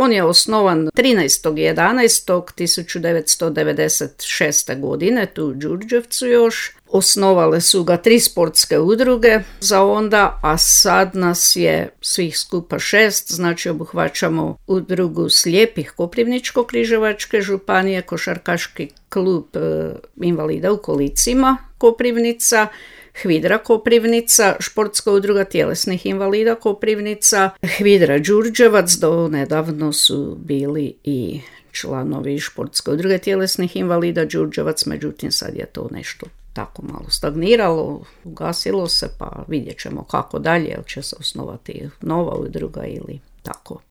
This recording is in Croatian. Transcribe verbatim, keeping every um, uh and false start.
On je osnovan trinaestog jedanaestog tisuću devetsto devedeset šeste. godine, tu u Đurđevcu još. Osnovale su ga tri sportske udruge za onda, a sad nas je svih skupa šest, znači obuhvaćamo udrugu slijepih Koprivničko-križevačke županije, košarkaški klub e, invalida u kolicima Koprivnica, Hvidra Koprivnica, športska udruga tjelesnih invalida Koprivnica, Hvidra Đurđevac, do nedavno su bili i članovi športske udruge tjelesnih invalida Đurđevac, međutim sad je to nešto tako malo stagniralo, ugasilo se, pa vidjet ćemo kako dalje, jel će se osnovati nova udruga ili tako.